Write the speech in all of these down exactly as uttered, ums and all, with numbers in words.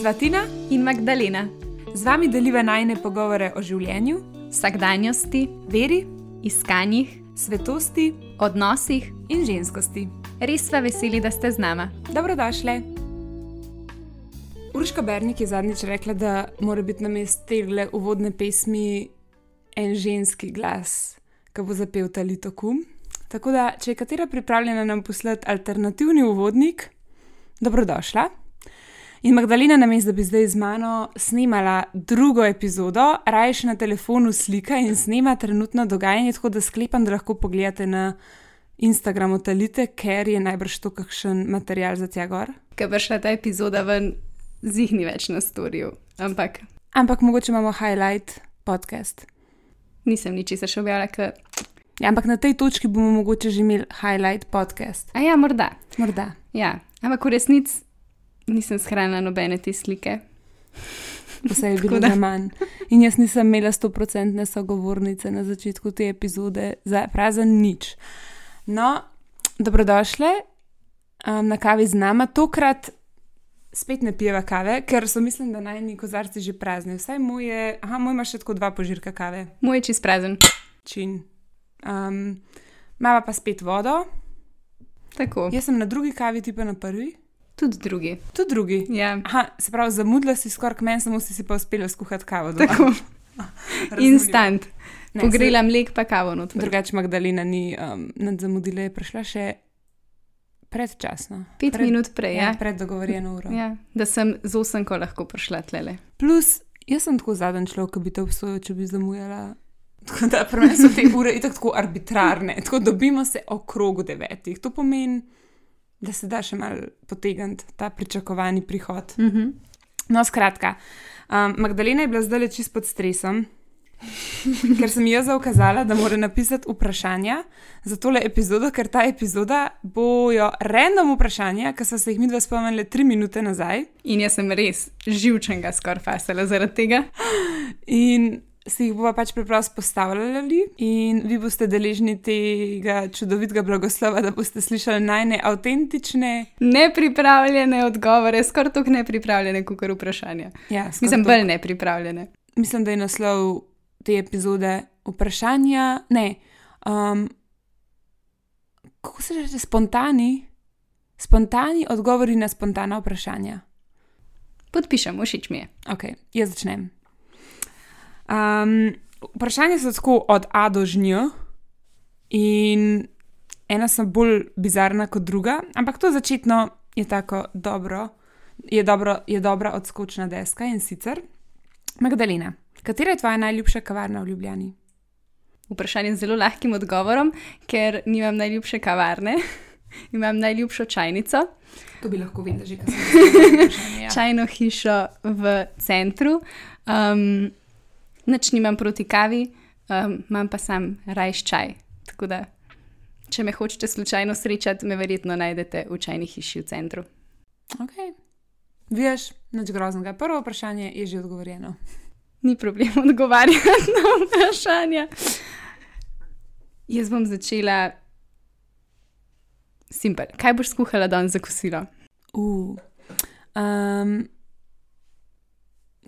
Sva Tina in Magdalena. Z vami deliva najine pogovore o življenju, vsakdanjosti, veri, iskanjih, svetosti odnosih in ženskosti. Res sva veseli, da ste z nama. Dobrodošle. Urška Bernik je zadnjič rekla, da mora biti namesto tegle uvodne pesmi en ženski glas, ki bo zapel Talito kum. Tako da, če je katera pripravljena nam poslati alternativni uvodnik, dobrodošla. In Magdalena, namesto da bi zdaj z mano snemala drugo epizodo, raje še na telefonu slika in snema trenutno dogajanje, tako da sklepam, da lahko pogledate na Instagramu Talite, ker je najbrž to kakšen material za tja gor. Ker bo šla ta epizoda ven, zihni več na storju, ampak... Ampak mogoče imamo highlight podcast. Nisem ničesar še objavila, ker... Ja, ampak na tej točki bomo mogoče že imeli highlight podcast. A ja, morda. Morda. Ja, ampak v resnici nisem shranila nobene te slike. Vse je bilo za manj. In jaz nisem imela stoprocentne sogovornice na začetku te epizode, za prazen nič. No, dobrodošle um, na kavi z nama. Tokrat spet ne pijeva kave, ker so mislim, da najni kozarci že prazni. Vsaj moj je, aha, moj ima še tako dva požirka kave. Moj je čist prazen. Čin. Um, mava pa spet vodo. Tako. Jaz sem na drugi kavi, ti pa na prvi. Tudi drugi. Tudi drugi? Ja. Aha, se pravi, zamudila si skoraj k meni, samo si si pa uspela skuhati kavo doma. Tako. Instant. Ne, Pogrela mlek pa kavo noter. Drugače Magdalena ni um, nad zamudila, je prišla še predčasno. Pet pred, minut prej, ja. Ja, pred dogovorjeno uro. Ja, da sem z osemko lahko prišla tlele. Plus, jaz sem tako zadnji človek, ki bi te obsojal, če bi zamujala. Tako da pri meni so te ure itak tako arbitrarne. Tako dobimo se okrogu devetih. To pomeni, da se da še malo potegniti ta pričakovani prihod. Mhm. No, skratka, um, Magdalena je bila zdaj čist pod stresom, ker sem ji jaz zaukazala, da mora napisati vprašanja za tole epizodo, ker ta epizoda bojo random vprašanja, ki so se jih midva spomnili tri minute nazaj. In jaz sem res živčenga skoraj fasala zaradi tega. In si jih bova pač preprosto postavljali in vi boste deležni tega čudovitega blagoslova, da boste slišali najne avtentične, nepripravljene odgovore, skoraj toliko nepripravljene, kakor vprašanja. Ja, Mislim, bolj nepripravljene. Mislim, da je naslov te epizode vprašanja, ne, um, kako se reče, spontani, spontani odgovori na spontana vprašanja. Podpišem, všeč mi je. Ok, jaz začnem. Um, vprašanja so tako od A do Ž in ena so bolj bizarna kot druga, ampak to začetno je tako dobro, je, dobro, je dobra odskočna deska in sicer Magdalena, katera je tvoja najljubša kavarna v Ljubljani? Vprašanje z zelo lahkim odgovorom, ker nimam najljubše kavarne, imam najljubšo čajnico. To bi lahko vedela že, kaj sem vprašanje. Ja. Čajno hišo v centru. Um, Nič nimam proti kavi, um, imam pa sam rajš čaj. Tako da, če me hočete slučajno srečati, me verjetno najdete v čajni hiši v centru. Ok. Veš, nič groznega. Prvo vprašanje je že odgovorjeno. Ni problem odgovarjati na vprašanja. Jaz bom začela simpel. Kaj boš skuhala danes za kosilo? Uh, um,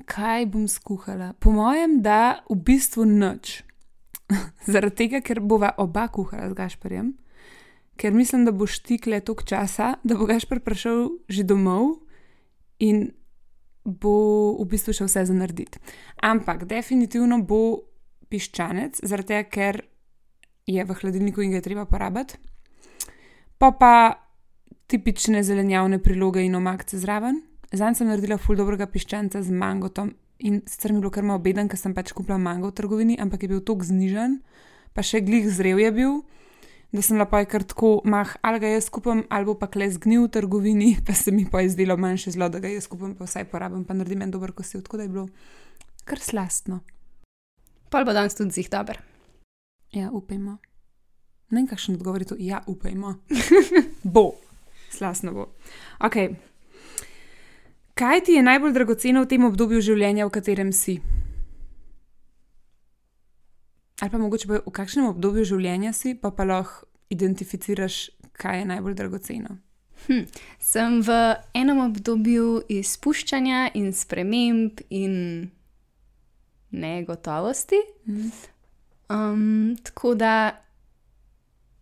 kaj bom skuhala? Po mojem, da v bistvu nič. Zaradi tega, ker bova oba kuhala z Gašperjem, ker mislim, da boš tikle toliko časa, da bo Gašper prišel že domov in bo v bistvu še vse za narediti. Ampak definitivno bo piščanec, zaradi tega, ker je v hladilniku in ga je treba porabiti. Pa pa tipične zelenjavne priloge in omakce zraven. Zanj sem naredila ful dobrega piščanca z mangotom in sicer mi je bilo kar malo beden, ker sem pač kupila mango v trgovini, ampak je bil toliko znižen, pa še glih zrel je bil, da sem lepo je kar tako, mah, ali ga jaz kupim, ali bo pa kle zgnil v trgovini, pa se mi pa je zdelo manjše zlo, da ga jaz kupim, pa vsaj porabim, pa naredim en dober kosil, tako da je bilo kar slastno. Pol bo danes tudi zih dober. Ja, upajmo. Ne vem, kakšen odgovor je to, ja, upajmo. Bo. Slastno bo. Ok. Kaj ti je najbolj dragoceno v tem obdobju življenja, v katerem si? Ali pa mogoče pa v kakšnem obdobju življenja si, pa pa lahko identificiraš, kaj je najbolj dragoceno. Hm. Sem v enem obdobju izpuščanja in sprememb in negotovosti. Mm. Um, tako da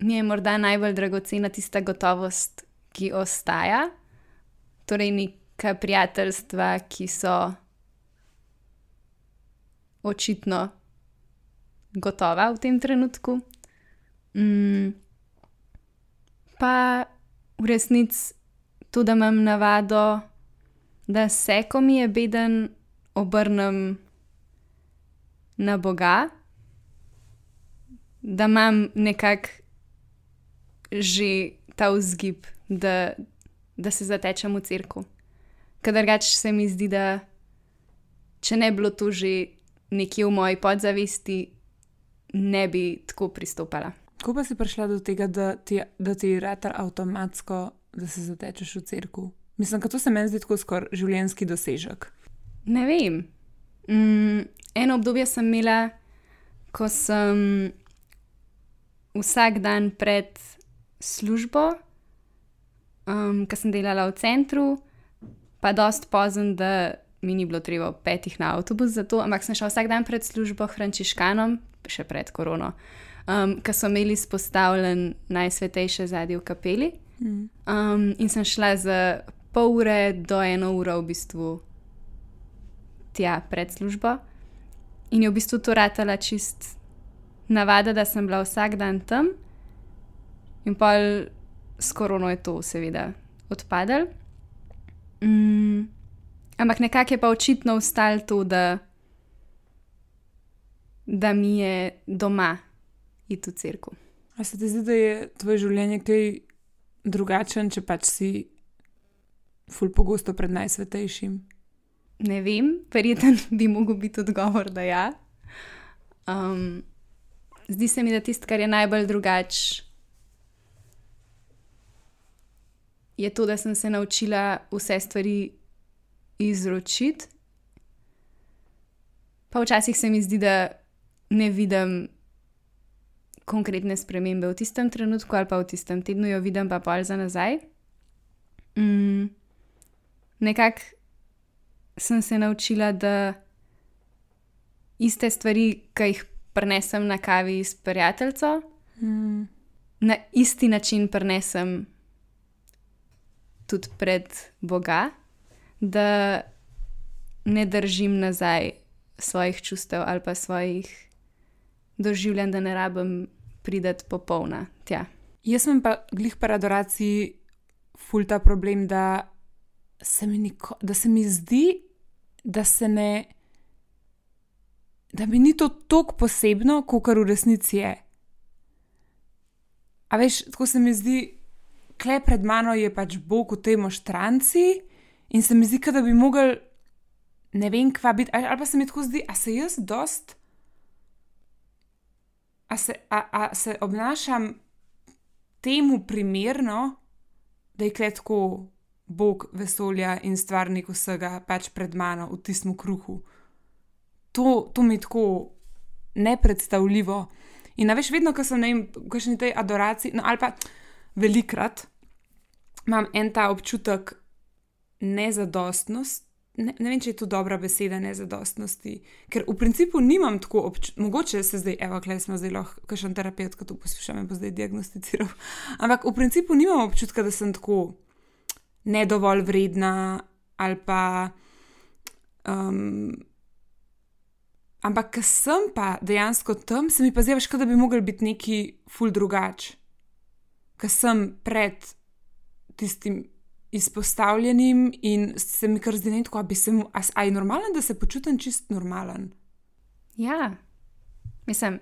mi je morda najbolj dragocena tista gotovost, ki ostaja. Torej, neka prijateljstva, ki so očitno gotova v tem trenutku. Mm. Pa v resnici to, da imam navado, da se, ko mi je beden, obrnem na Boga, da imam nekako že ta vzgib, da, da se zatečem v cerkev. Ker drugače se mi zdi, da če ne bilo to že nekje v moji podzavesti, ne bi tako pristopala. Kako pa si prišla do tega, da ti, da ti rata avtomatsko, da se zatečeš v cerkev? Mislim, da to se meni zdi tako skoraj življenjski dosežek. Ne vem. Mm, eno obdobje sem imela, ko sem vsak dan pred službo, um, ko sem delala v centru, pa dost pozno, da mi ni bilo treba ob petih na avtobus za to, ampak sem šla vsak dan pred službo frančiškanom, še pred korono, um, ko so imeli spostavljen Najsvetejše zadnje v kapeli. Mm. Um, in sem šla za pol ure do eno uro v bistvu tja pred službo. In je v bistvu to ratala čist navada, da sem bila vsak dan tam. In pol s korono je to seveda odpadlo. Mm, ampak nekako je pa očitno ostalo to, da, da mi je doma iti v cerkev. A se ti zdi, da je tvoje življenje kaj drugačen, če pač si ful pogosto pred Najsvetejšim? Ne vem, verjetno bi mogel biti odgovor, da ja. Um, zdi se mi, da tisto, kar je najbolj drugače, je to, da sem se naučila vse stvari izročiti. Pa včasih se mi zdi, da ne vidim konkretne spremembe v tistem trenutku ali pa v tistem tednu, jo vidim pa pol za nazaj. Mm, nekako sem se naučila, da iste stvari, ki jih prinesem na kavi s prijateljico, Mm. na isti način prinesem tudi pred Boga, da ne držim nazaj svojih čustev ali pa svojih doživljanj, da ne rabim priti popolna tja. Jaz imam pa glih pri adoraciji ful ta problem, da se mi, niko, da se mi zdi, da se ne, da mi ni to toliko posebno, kakor v resnici je. A veš, tako se mi zdi, kle pred mano je pač Bog v tej moštranci in se mi zdi, da bi mogel, ne vem, kva biti, ali pa se mi tako zdi, a se jaz dost, a se, a, a se obnašam temu primerno, da je kle tako Bog vesolja in stvarnik vsega pač pred mano v tistem kruhu. To, to mi je tako nepredstavljivo. In a veš, vedno, ko sem v kakšni tej adoraciji, no ali pa velikrat, imam en ta občutek nezadostnosti, ne, ne vem, če je to dobra beseda, nezadostnosti, ker v principu nimam tako občutka, mogoče se zdaj, evo, klej smo zdaj lahko, kakšen terapeut, ko to poslušam, me bo zdaj diagnosticiral, ampak v principu nimam občutka, da sem tako nedovolj vredna ali pa um, ampak ko sem pa dejansko tam, se mi pa zdi, da bi mogel biti neki ful drugač. Ko sem pred tistim izpostavljenim in se mi kar zdi, da bi se mu, a, a je normalen, da se počutim čist normalen? Ja, mislim,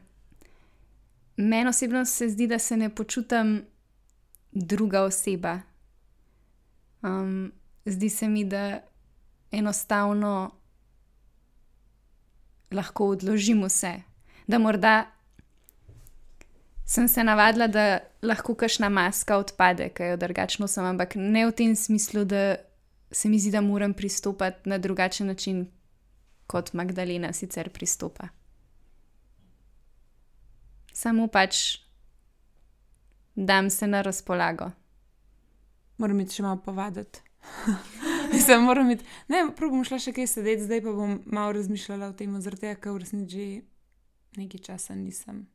meni osebno se zdi, da se ne počutim druga oseba. Um, zdi se mi, da enostavno lahko odložim vse. Da morda sem se navadila, da lahko kakšna maska odpade, ki jo drugačno sem, ampak ne v tem smislu, da se mi zdi, da moram pristopati na drugačen način, kot Magdalena sicer pristopa. Samo pač dam se na razpolago. Moram iti še malo povaditi. Mislim, moram iti. Ne, prav bom šla še kaj sedeti, zdaj pa bom malo razmišljala o tem, zaradi tega, ker v resnici že nekaj časa nisem.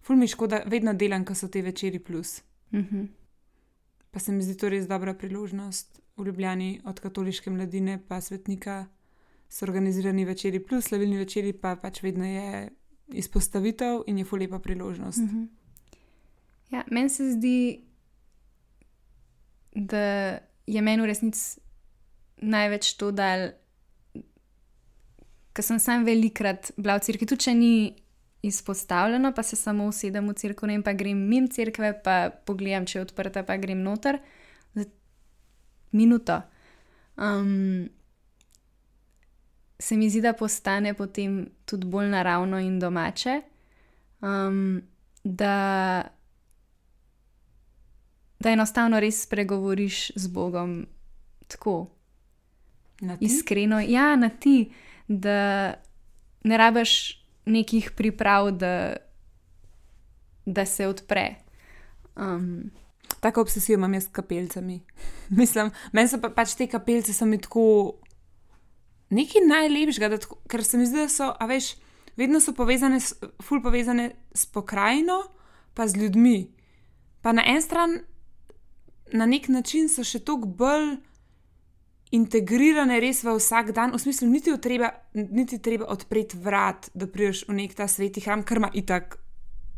Ful mi škoda, vedno delam, ko so te večeri plus. Mhm. Pa se mi zdi to res dobra priložnost. V Ljubljani od katoliške mladine pa svetnika so organizirani večeri plus, slavilni večeri pa pač vedno je izpostavitev in je ful lepa priložnost. Mhm. Ja, meni se zdi, da je meni v resnici največ to dal, ker sem sam velikrat bila v cerkvi, tudi če ni izpostavljeno, pa se samo usedem v cerkev, ne, pa grem mimo cerkve, pa pogledam, če je odprta, pa grem noter za minuto. Um, se mi zdi, da postane potem tudi bolj naravno in domače, um, da, da enostavno res spregovoriš z Bogom tako Na ti? iskreno. Ja, na ti, da ne rabiš nekih priprav, da, da se odpre. Um, Tako obsesijo imam jaz s kapelcami. Mislim, meni so pa, pač te kapelce so mi tako nekaj najlepšega, da tako, ker se mi zdi, da so, a veš, vedno so povezane, s- ful povezane s pokrajino, pa z ljudmi. Pa na en stran, na nek način so še toliko bolj integrirane res v vsak dan, v smislu, niti, treba, niti treba odpreti vrat, da prideš v nek ta sveti hram, ker ima itak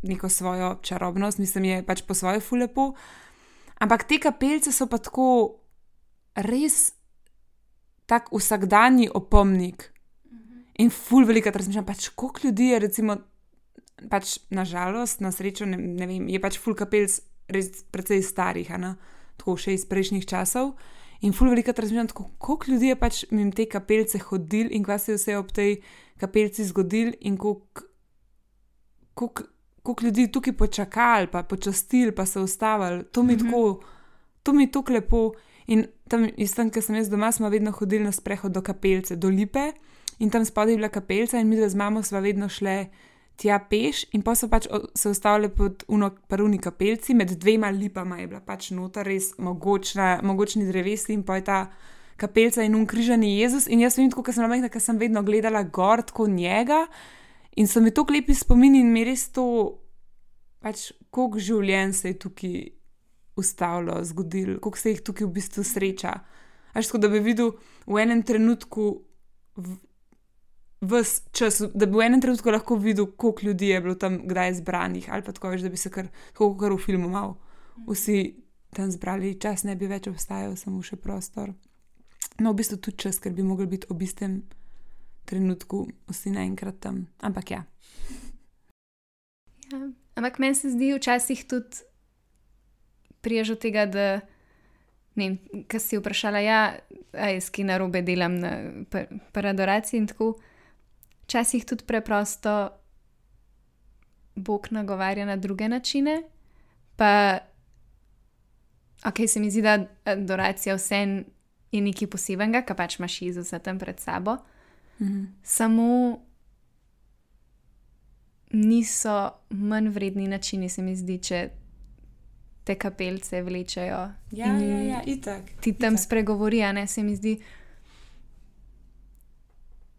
neko svojo čarobnost, mislim, je pač po svoje ful lepo. Ampak te kapelce so pa tako res tak vsakdanji opomnik. In ful velikrat razmišljam, pač koliko ljudi je recimo, pač nažalost, na srečo, ne, ne vem, je pač ful kapelc res precej starih, a ne? Tako še iz prejšnjih časov. In ful velikrat razmišljam, tako, koliko ljudi je pač mimo te kapelce hodil in kaj se je vse ob tej kapelci zgodil in koliko, koliko, koliko ljudi tukaj počakali, pa počastili, pa se ustavili. To mi Mhm. tako, to mi je tako lepo. In tam, iz tam, ker sem jaz doma, smo vedno hodili na sprehod do kapelce, do Lipe. In tam spodaj je bila kapelca in mi z mamo sva vedno šle tja peš in pa so pač o- se ustavili pod uno paruni kapelci, med dvema lipama je bila pač nota res mogočna, mogočni drevesi in pa je ta kapelca in un križani Jezus in jaz vem tako, ker sem majhna, ker sem vedno gledala gor tako njega in so mi tako lepi spomini in mi res to, pač koliko življenj se je tukaj ustavilo, zgodilo, koliko se jih tukaj v bistvu sreča. Až tako, da bi videl v enem trenutku v, ves čas, da bi v enem trenutku lahko videl, koliko ljudi je bilo tam kdaj zbranih, ali pa tako veš, da bi se kar, tako kar v filmu mal vsi tam zbrali, čas ne bi več obstajal, samo še prostor. No, v bistvu tudi čas, ker bi mogli biti ob istem trenutku vsi naenkrat tam. Ampak ja. Ja. Ampak meni se zdi včasih tudi priješ od tega, da ne vem, kar si vprašala, ja, a jaz kaj narobe delam na pa- paradoraciji in tako. Včasih tudi preprosto Bog nagovarja na druge načine, pa ok, se mi zdi, da adoracija vseeno je nekaj posebenega, ker pač imaš Jezusa tam pred sabo, Mhm. samo niso manj vredni načini, se mi zdi, če te kapelce vlečejo. Ja, in ja, ja, itak. ti tam itak. spregovori, a ne, se mi zdi.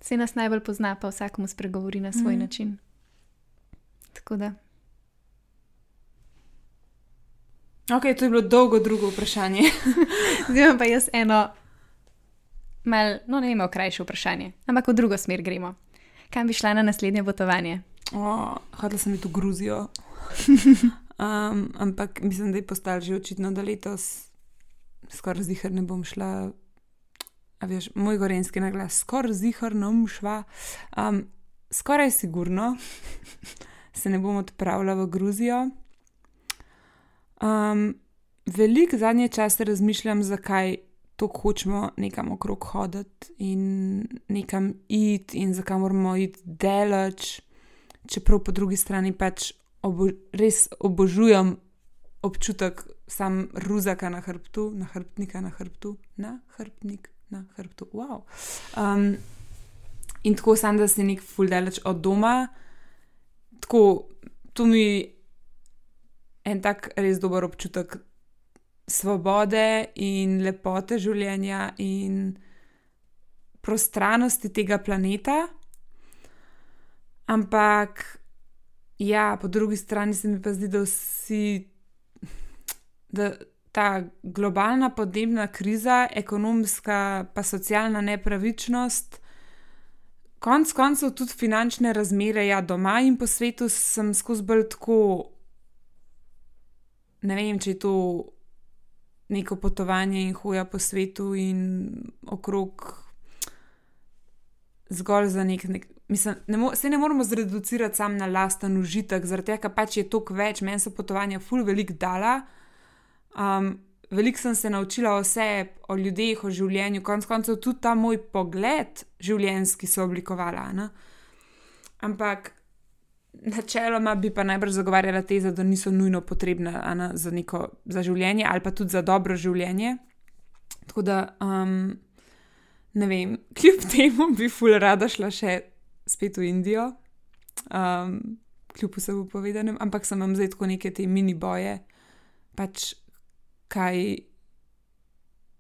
Se nas najbolj pozna, pa vsakmu spregovori na svoj Mhm. način. Tako da. Ok, to je bilo dolgo drugo vprašanje. Zdaj imam pa jaz eno, mal, no ne vem, krajše vprašanje, ampak v drugo smer gremo. Kam bi šla na naslednje potovanje? Oh, hodila sem iti v Gruzijo. Um, ampak mislim, da je postalo že očitno, da letos skoraj zihar ne bom šla. A veš, moj gorenski naglas, skoraj zihar ne bom šla. Um, skoraj sigurno se ne bom odpravila v Gruzijo. Um, Veliko zadnje čase razmišljam, zakaj tako hočemo nekam okrog hoditi in nekam iti in zakaj moramo iti daleč, čeprav po drugi strani pač obo, res obožujem občutek sam ruzaka na hrbtu, na hrbtnika na hrbtu, na hrbtnik na hrbtu, wow. Um, in tako sam, da si nek ful daleč od doma, tako, to mi en tak res dober občutek svobode in lepote življenja in prostranosti tega planeta. Ampak, ja, po drugi strani se mi pa zdi, da vsi, da ta globalna podnebna kriza, ekonomska pa socialna nepravičnost, konc koncev tudi finančne razmere, ja, doma in po svetu sem skozi bolj tako, ne vem, če je to neko potovanje in hoja po svetu in okrog zgolj za nek, nek mislim, ne mo, se ne moramo zreducirati sam na lasten užitek, zaradi tega, pač je toliko več, meni so potovanja ful veliko dala. Um, veliko sem se naučila o sebi, o ljudeh, o življenju, konc koncev tudi ta moj pogled življenjski so oblikovala, ne? Ampak načeloma bi pa najbrž zagovarjala teza, da niso nujno potrebna ne, za, neko, za življenje ali pa tudi za dobro življenje. Tako da, um, ne vem, kljub temu bi ful rada šla še spet v Indijo, um, kljub vsemu povedanem, ampak sem vam zdaj tako neke te mini boje, pač kaj,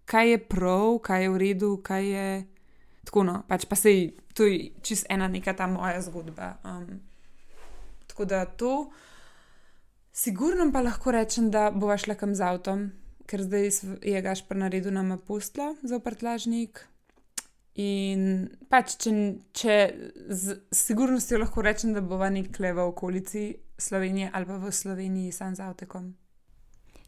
kaj je prav, kaj je v redu, kaj je tako no, pač pa sej, to je čist ena neka ta moja zgodba. Um, tako da to, sigurno pa lahko rečem, da bova šla kam z avtom, ker zdaj je Gašper naredil nama posteljo za prtljažnik. In pač, če, če z sigurnostjo lahko rečem, da bova nekle v okolici Slovenije ali pa v Sloveniji sam z avtekom.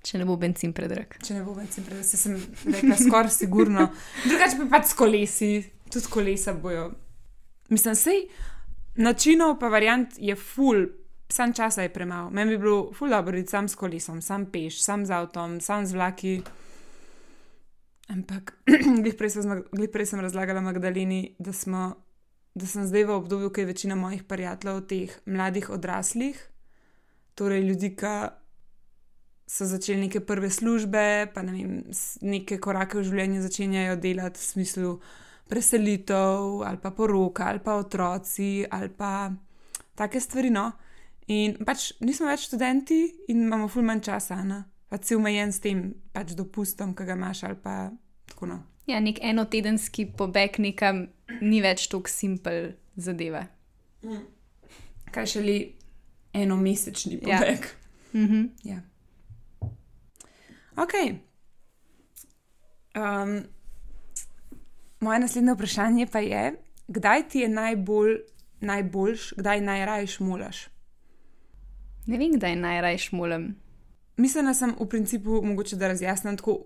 Če ne bo bencin predrag. Če ne bo bencin predrag, se sem rekla skoraj sigurno. Drugače pa pač s kolesi, tudi kolesa bojo. Mislim, sej načinov pa variant je ful, sam časa je premalo. Meni bi bilo ful dobro iti sam s kolesom, sam peš, sam z avtom, sam z vlaki. Ampak, glih prej, glih prej sem razlagala Magdaleni, da, smo, da sem zdaj v obdobju, ko je večina mojih prijateljev teh mladih odraslih, torej ljudi, ki so začeli neke prve službe, pa ne vem, neke korake v življenju začenjajo delati v smislu preselitev, ali pa poroka, ali pa otroci, ali pa take stvari, no. In pač nismo več študenti in imamo ful manj časa, ne. Pač si omejen s tem pač dopustom, ki ga imaš, ali pa tako, no. Ja, nek enotedenski pobeg nekam ni več tako simpel zadeva. Mm. Kaj šele enomesečni pobeg. Ja. Mhm. Ja. Ok. Um, moje naslednje vprašanje pa je, kdaj ti je najbolj, najboljš, kdaj najraje šmolaš? Ne vem, kdaj najraje šmolam. Mislila sem v principu, mogoče da razjasnim tako,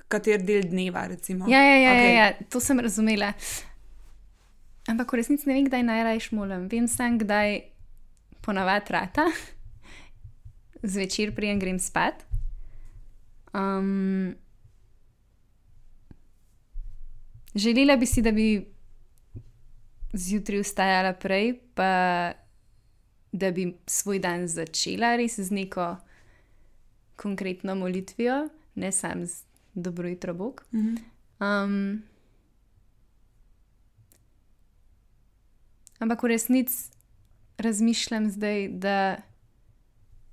kater del dneva, recimo. Ja, ja, ja, okay. ja, ja, to sem razumela. Ampak v resnici ne vem, kdaj najraje šmolam. Vem sam, kdaj ponavadi rata. Zvečer prijem grem spat. Um, želela bi si, da bi zjutraj vstajala prej, pa da bi svoj dan začela res z neko konkretno molitvijo, ne sam z dobro jutro Bog. Mm-hmm. Um, ampak v resnici razmišljam zdaj, da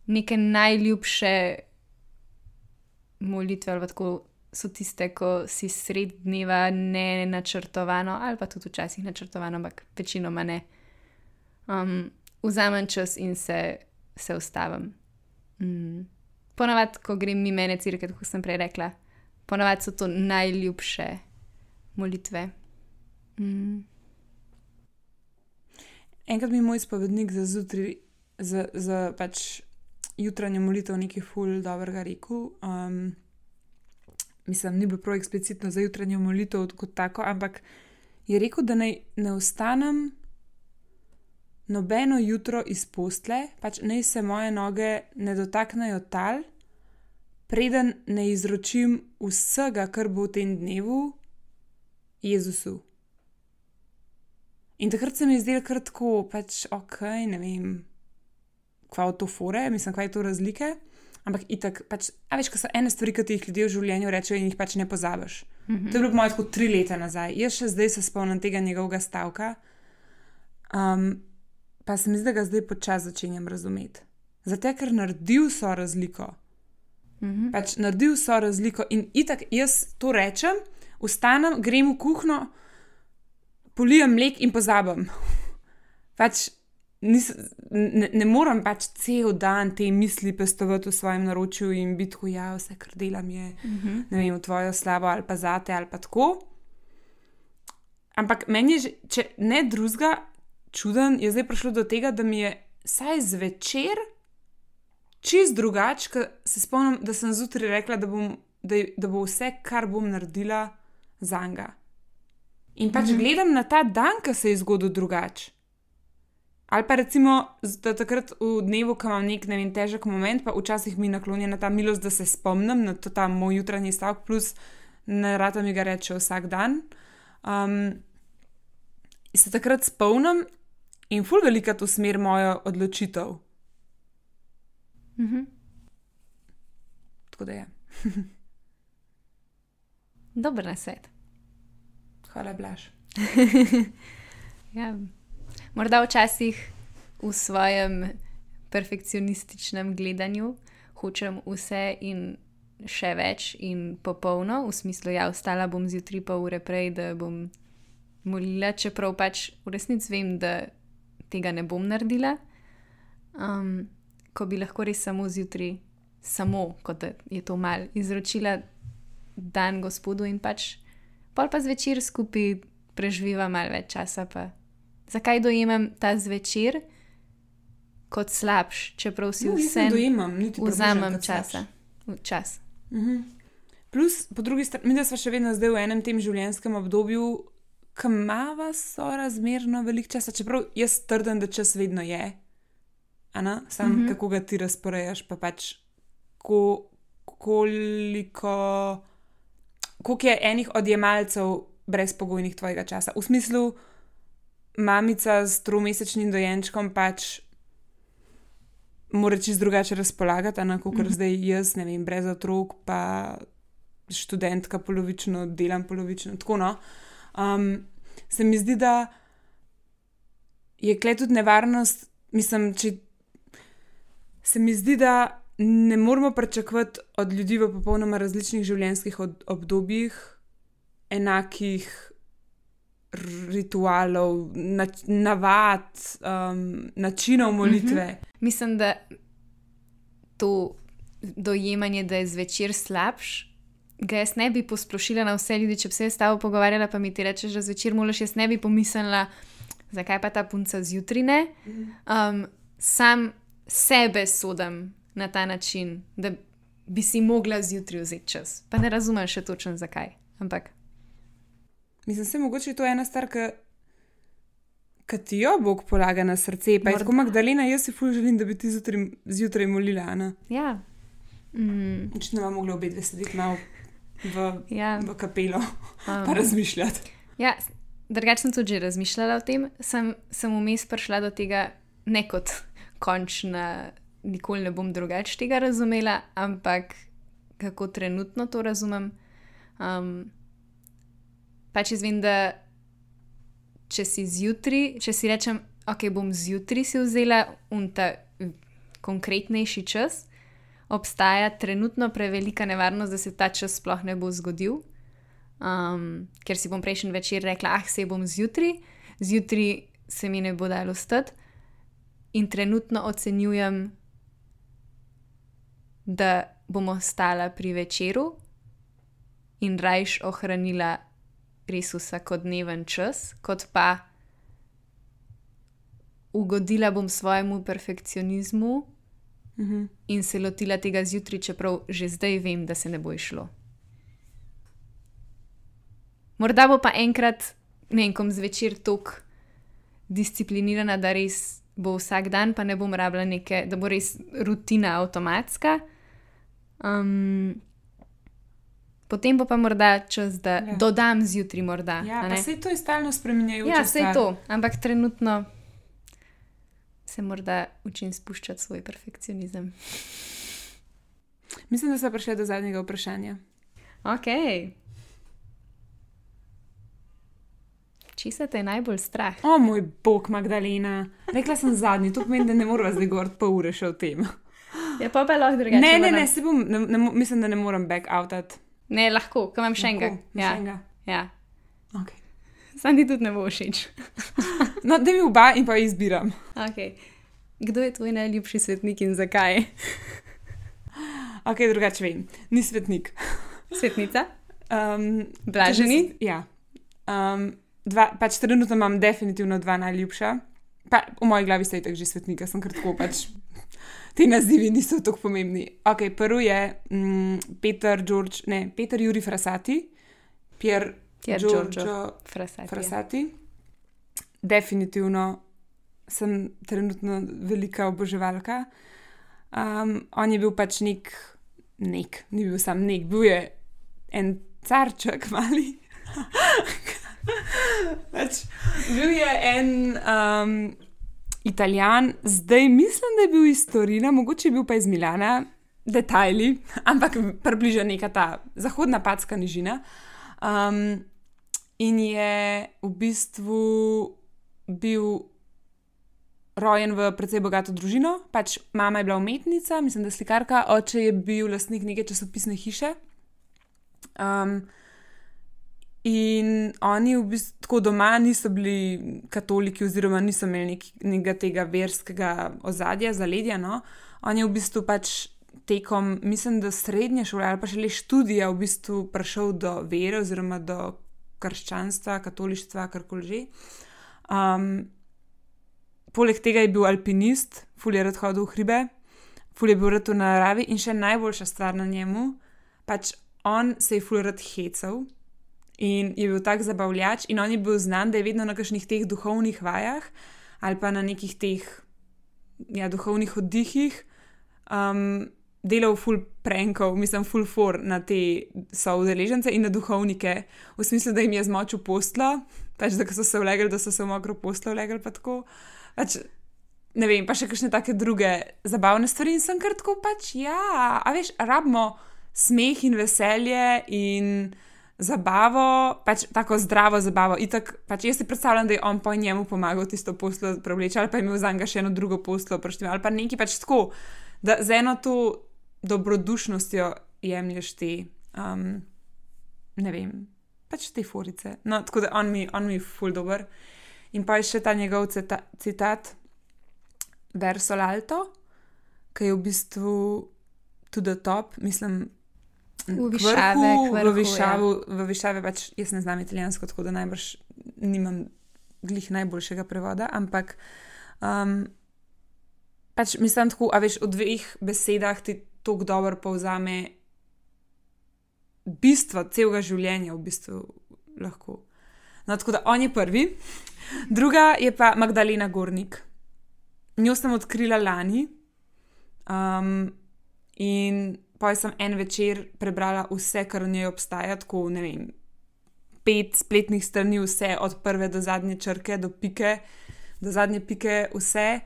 neke najljubše molitve ali tako so tiste, ko si sred dneva ne načrtovano, ali pa tudi včasih načrtovano, ampak večinoma ne. Um, vzamem čas in se, se ustavim. Mm. Ponavadi, ko grem mimo ene cerkve, kot sem prej rekla, ponavadi so to najljubše molitve. Mm. Enkrat mi je moj spovednik za zjutraj, za, za pač jutranjo molitev nekaj ful dobrega rekel. Um, mislim, ni bilo prav eksplicitno za jutranjo molitev kot tako, ampak je rekel, da naj ne ostanem nobeno jutro iz postle, pač naj se moje noge ne dotaknejo tal, preden ne izročim vsega, kar bo v tem dnevu, Jezusu. In takrat se mi je zdelo kar tako, pač ok, ne vem, kva je to fore, mislim, kva je to razlike, ampak itak, pač, a veš, ko so ene stvari, ki ti jih ljudje v življenju rečejo in jih pač ne pozabiš. Mm-hmm. To je bilo po moje tako tri leta nazaj. Jaz še zdaj se spomnim tega njegovega stavka, um, pa se mi zdi, da ga zdaj počas začenjam razumeti. Zato, ker naredil so razliko. Mhm. Pač naredil so razliko in itak jaz to rečem, vstanem, grem v kuhno, polijem mlek in pozabim. Pač nis, ne, ne morem pač cel dan te misli pestovati v svojem naročju in biti tako, ja, vse, kar delam je, Mhm. ne vem, v tvojo slavo ali pa zate ali pa tako. Ampak meni je, že, če ne drugega, čuden, je zdaj prišlo do tega, da mi je saj zvečer čist drugače, ker se spomnim, da sem zjutraj rekla, da, bom, da, da bo vse, kar bom naredila, zanga. In pač Mhm. gledam na ta dan, ki se je zgodil drugače. Ali pa recimo, da takrat v dnevu, ko imam nek, ne vem, težek moment, pa včasih mi naklonjena ta milost, da se spomnim na to ta moj jutranji stavek, plus ne rada mi ga reče vsak dan. Um, se takrat spomnim in ful velika to smer mojo odločitev. Mhm. Tako da je. Dober nasvet. Hvala, Blaž. Ja. Morda včasih v svojem perfekcionističnem gledanju hočem vse in še več in popolno, v smislu, ja, vstala bom zjutraj pol ure prej, da bom molila, čeprav pač v resnici vem, da tega ne bom naredila. Um, ko bi lahko res samo zjutraj, samo, kot da je to mal, izročila dan Gospodu in pač pol pa zvečer skupaj preživiva malo več časa. Pa. Zakaj dojemam ta zvečer kot slabš, čeprav si No, jaz vse ne dojemam, niti približno vzamem kot časa. Čas. Mhm. Plus, po drugi strani, mi da smo še vedno zdaj v enem tem življenjskem obdobju, ki imava sorazmerno veliko časa, čeprav jaz trdim, da čas vedno je. Ana, sam Mhm. kako ga ti razporejaš, pa pač ko, koliko, koliko je enih odjemalcev brezpogojnih tvojega časa. V smislu, mamica s tromesečnim dojenčkom pač mora čisto drugače razpolagati, a ne, kot Mhm. zdaj jaz, ne vem, brez otrok, pa študentka polovično, delam polovično, tako no. Um, se mi zdi, da je kle tudi nevarnost, mislim, če se mi zdi, da ne moramo pričakovati od ljudi v popolnoma različnih življenjskih od, obdobjih enakih ritualov, nač, navad, um, načinov molitve. Mhm. Mislim, da to dojemanje, da je zvečer slabš, ga jaz ne bi posplošila na vse ljudi. Če bi se jaz s tabo pogovarjala, pa mi ti rečeš, da zvečer moliš, jaz ne bi pomislila, zakaj pa ta punca zjutraj ne. Um, sam sebe sodim na ta način, da bi si mogla zjutraj vzeti čas. Pa ne razumem še točno zakaj. Ampak Mislim, se mogoče je to ena stvar, ki ti jo Bog polaga na srce. Pa je Morda. tako, Magdalena, jaz si ful želim, da bi ti zjutraj, zjutraj molila. Ne? ja. Mm, Očitno vam mogla obe dve sedeti malo v, ja. v kapelo Um, pa razmišljati. Ja, drugače sem tudi že razmišljala o tem, sem, sem vmes prišla do tega, ne kot končna, nikoli ne bom drugače tega razumela, ampak kako trenutno to razumem. Um, pač jaz vem, da če si zjutraj, če si rečem, ok, bom zjutraj si vzela unta konkretnejši čas, obstaja trenutno prevelika nevarnost, da se ta čas sploh ne bo zgodil. Um, ker si bom prejšnji večer rekla, ah, se bom zjutraj, zjutraj se mi ne bo dalo stati, in trenutno ocenjujem, da bom ostala pri večeru in rajš ohranila res vsakodneven čas, kot pa ugodila bom svojemu perfekcionizmu Mhm. in se lotila tega zjutraj, čeprav že zdaj vem, da se ne bo išlo. Morda bo pa enkrat, ne vem, kom zvečer toliko disciplinirana, da res bo vsak dan, pa ne bom rabila neke, da bo res rutina avtomatska. Um, potem bo pa morda čas, da Ja. ja. dodam zjutraj morda. Ja, a pa ne? sej to je stalno spreminjajoče. Ja, vse je to, ampak trenutno se morda učim spuščati svoj perfekcionizem. Mislim, da smo prišli do zadnjega vprašanja. Ok. Česa te je najbolj strah? O moj bog, Magdalena. Rekla sem zadnji, to pomeni, da ne moramo zdaj govoriti pol ure še o tem. Ja, pa pa lahko drugače. Ne, ne, moram- ne, se bom, ne, ne, mo- mislim, da ne morem back-outat. Ne, lahko, ko imam še enega. Lahko, Ja, še enega. ja. Okay. Sam ti tudi ne bo všeč. No, da mi oba in pa izbiram. Okay. Kdo je tvoj najljubši svetnik in zakaj? Ok, drugače vem. Ni svetnik. Svetnica? Um, Blaženi? Ja. Um, dva, pač trenutno imam definitivno dva najljubša. Pa v moji glavi sta itak že svetnika, sem kar tako pač. Ti nazivi niso tako pomembni. Ok, prvi je mm, Peter, George, ne, Peter Juri Frassati, Pier Pier Giorgio Giorgio Frassati. Frassati. Definitivno sem trenutno velika oboževalka. Um, on je bil pač nek, nek, ni bil sam nek, bil je en carček mali. pač, bil je en um, Italijan, zdaj mislim, da je bil iz Torina, mogoče je bil pa iz Milana, detajli, ampak približno neka ta zahodna Patska nižina. Um, in je v bistvu bil rojen v precej bogato družino, pač mama je bila umetnica, mislim, da slikarka, oče je bil lastnik neke časopisne hiše. Um, in oni v bistvu tako doma niso bili katoliki oziroma niso imeli nek, nekega tega verskega ozadja, zaledja, no. On je v bistvu pač tekom, mislim, da srednje šole ali pa šele študija v bistvu prišel do vere oziroma do krščanstva, katolištva, karkoli že. Um, poleg tega je bil alpinist, ful je rad hodil v hribe, ful je bil rad v naravi in še najboljša stvar na njemu, pač on se je ful rad hecal in je bil tak zabavljač in on je bil znan, da je vedno na kakšnih teh duhovnih vajah ali pa na nekih teh ja, duhovnih oddihih um, delal ful prankov, mislim ful for na te soudeležence in na duhovnike, v smislu, da jim je zmočil postlo, pač da so se vlegli, da so se v mokro postlo vlegli pa tako. Pač, ne vem, pa še kakšne take druge zabavne stvari in sem kar tako pač, ja, a veš, rabimo smeh in veselje in zabavo, pač tako zdravo zabavo. Itak, pač jaz si predstavljam, da je on pa njemu pomagal tisto poslo prevleči, ali pa je imel za njega še eno drugo poslo, ali pa nekaj pač tako, da z eno to dobrodušnostjo jemlješ te, um, ne vem, pač te forice. No, tako da on mi, on mi ful dober. In pa je še ta njegov cita, citat Verso l'alto, ki je v bistvu to the top, mislim, v višave, v vrhu, v višavu, ja. v višave, pač jaz ne znam italijansko, tako da najbrž nimam glih najboljšega prevoda, ampak um, pač mislim tako, a veš, v dveh besedah ti toliko dobro povzame bistvo celega življenja v bistvu lahko. No, tako da on je prvi. Druga je pa Magdalena Gornik. Njo sem odkrila lani um, in potem sem en večer prebrala vse, kar v njej obstaja, tako, ne vem, pet spletnih strani, vse od prve do zadnje črke, do pike, do zadnje pike, vse.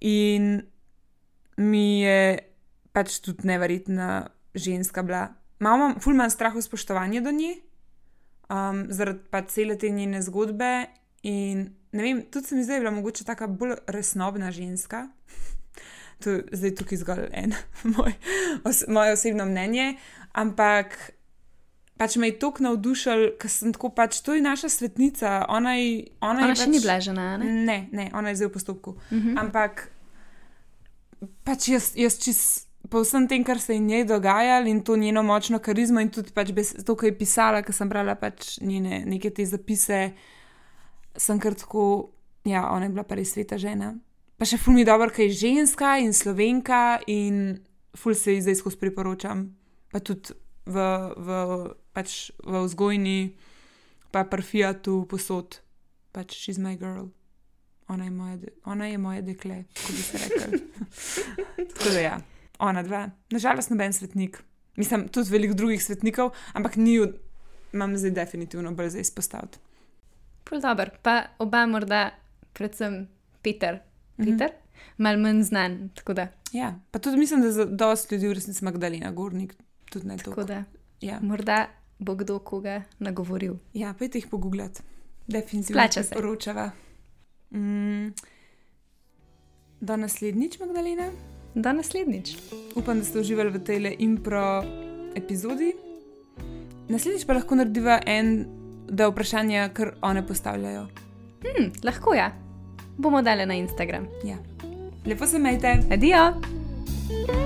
In mi je pač tudi neverjetna ženska bila. Malo imam, ful imam strah v spoštovanje do nje, um, zaradi pa cele te njene zgodbe in ne vem, tudi se mi zdaj je bila mogoče taka bolj resnobna ženska. To je zdaj tukaj zgolj en moj, os, moje osebno mnenje, ampak pač me je toliko navdušil, ker sem tako pač, to je naša svetnica, ona je... Ona, ona je še pač, ni bila žena, ne? Ne, ne, ona je zdaj v postopku. Mhm. Ampak pač jaz, jaz čist po vsem tem, kar se je njej dogajalo in to njeno močno karizmo in tudi pač bez, to, kar je pisala, ker sem brala pač njene neke te zapise, sem kar tako, ja, ona je bila pa res sveta žena. Pa še ful mi dobro, ker je ženska in Slovenka in ful se ji zdaj skozi priporočam. Pa tudi v, v, pač v vzgojni, pa pri Fiatu posod. Pač she's my girl. Ona je moje, de, ona je moje dekle, kot bi se rekel. Tako da ja, ona dva. Nažalost noben svetnik. Mislim, tudi veliko drugih svetnikov, ampak ni, imam zdaj definitivno bolj za izpostaviti. Prav dober. Pa oba morda, predvsem Peter, Peter, mm-hmm. malo manj znan, tako da. Ja, pa tudi mislim, da za dosti ljudi v resnici Magdalena Gornik tudi ne toliko. Tako da, ja. Morda bo kdo koga nagovoril. Ja, pojte jih pogooglati. Definitivno Splača se. Poročava. Mm. Do naslednjič, Magdalena. do naslednjič. Upam, da ste uživali v tej impro epizodi. Naslednjič pa lahko narediva en, da vprašanja, kar one postavljajo. Hmm, lahko ja. Bomo dali na Instagram. Ja. Lepo se majte. Adijo!